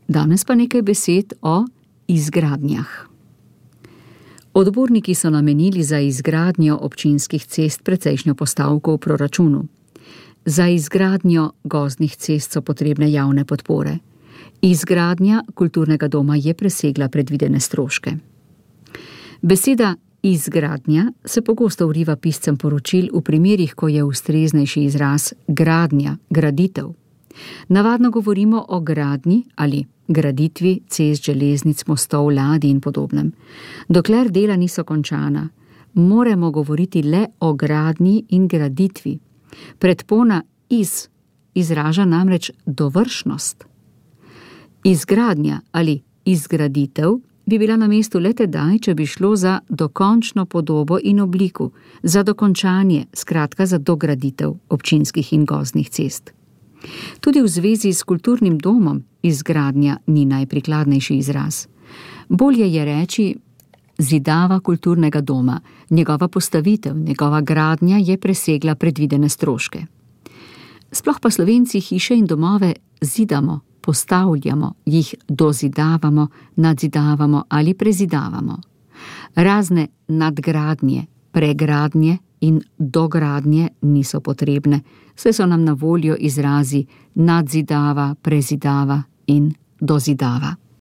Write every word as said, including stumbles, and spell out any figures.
Danes pa nekaj besed o izgradnjah. Odborniki so namenili za izgradnjo občinskih cest precejšnjo postavko v proračunu. Za izgradnjo gozdnih cest so potrebne javne podpore. Izgradnja kulturnega doma je presegla predvidene stroške. Beseda izgradnja se pogosto vriva piscem poročil v primerih, ko je ustreznejši izraz gradnja, graditev. Navadno govorimo o gradnji ali graditvi cest, železnic, mostov, ladij in podobnem. Dokler dela niso končana, moramo govoriti le o gradnji in graditvi. Predpona iz izraža namreč dovršnost. Izgradnja ali izgraditev bi bila na mestu le tedaj, če bi šlo za dokončno podobo in obliko, za dokončanje, skratka za dograditev občinskih in gozdnih cest. Tudi v zvezi s kulturnim domom izgradnja ni najprikladnejši izraz. Bolje je reči zidava kulturnega doma, njegova postavitev, njegova gradnja je presegla predvidene stroške. Sploh pa Slovenci hiše in domove zidamo, postavljamo, jih dozidavamo, nadzidavamo ali prezidavamo. Razne nadgradnje, pregradnje in dogradnje niso potrebne, saj so nam na voljo izrazi nadzidava, prezidava in dozidava.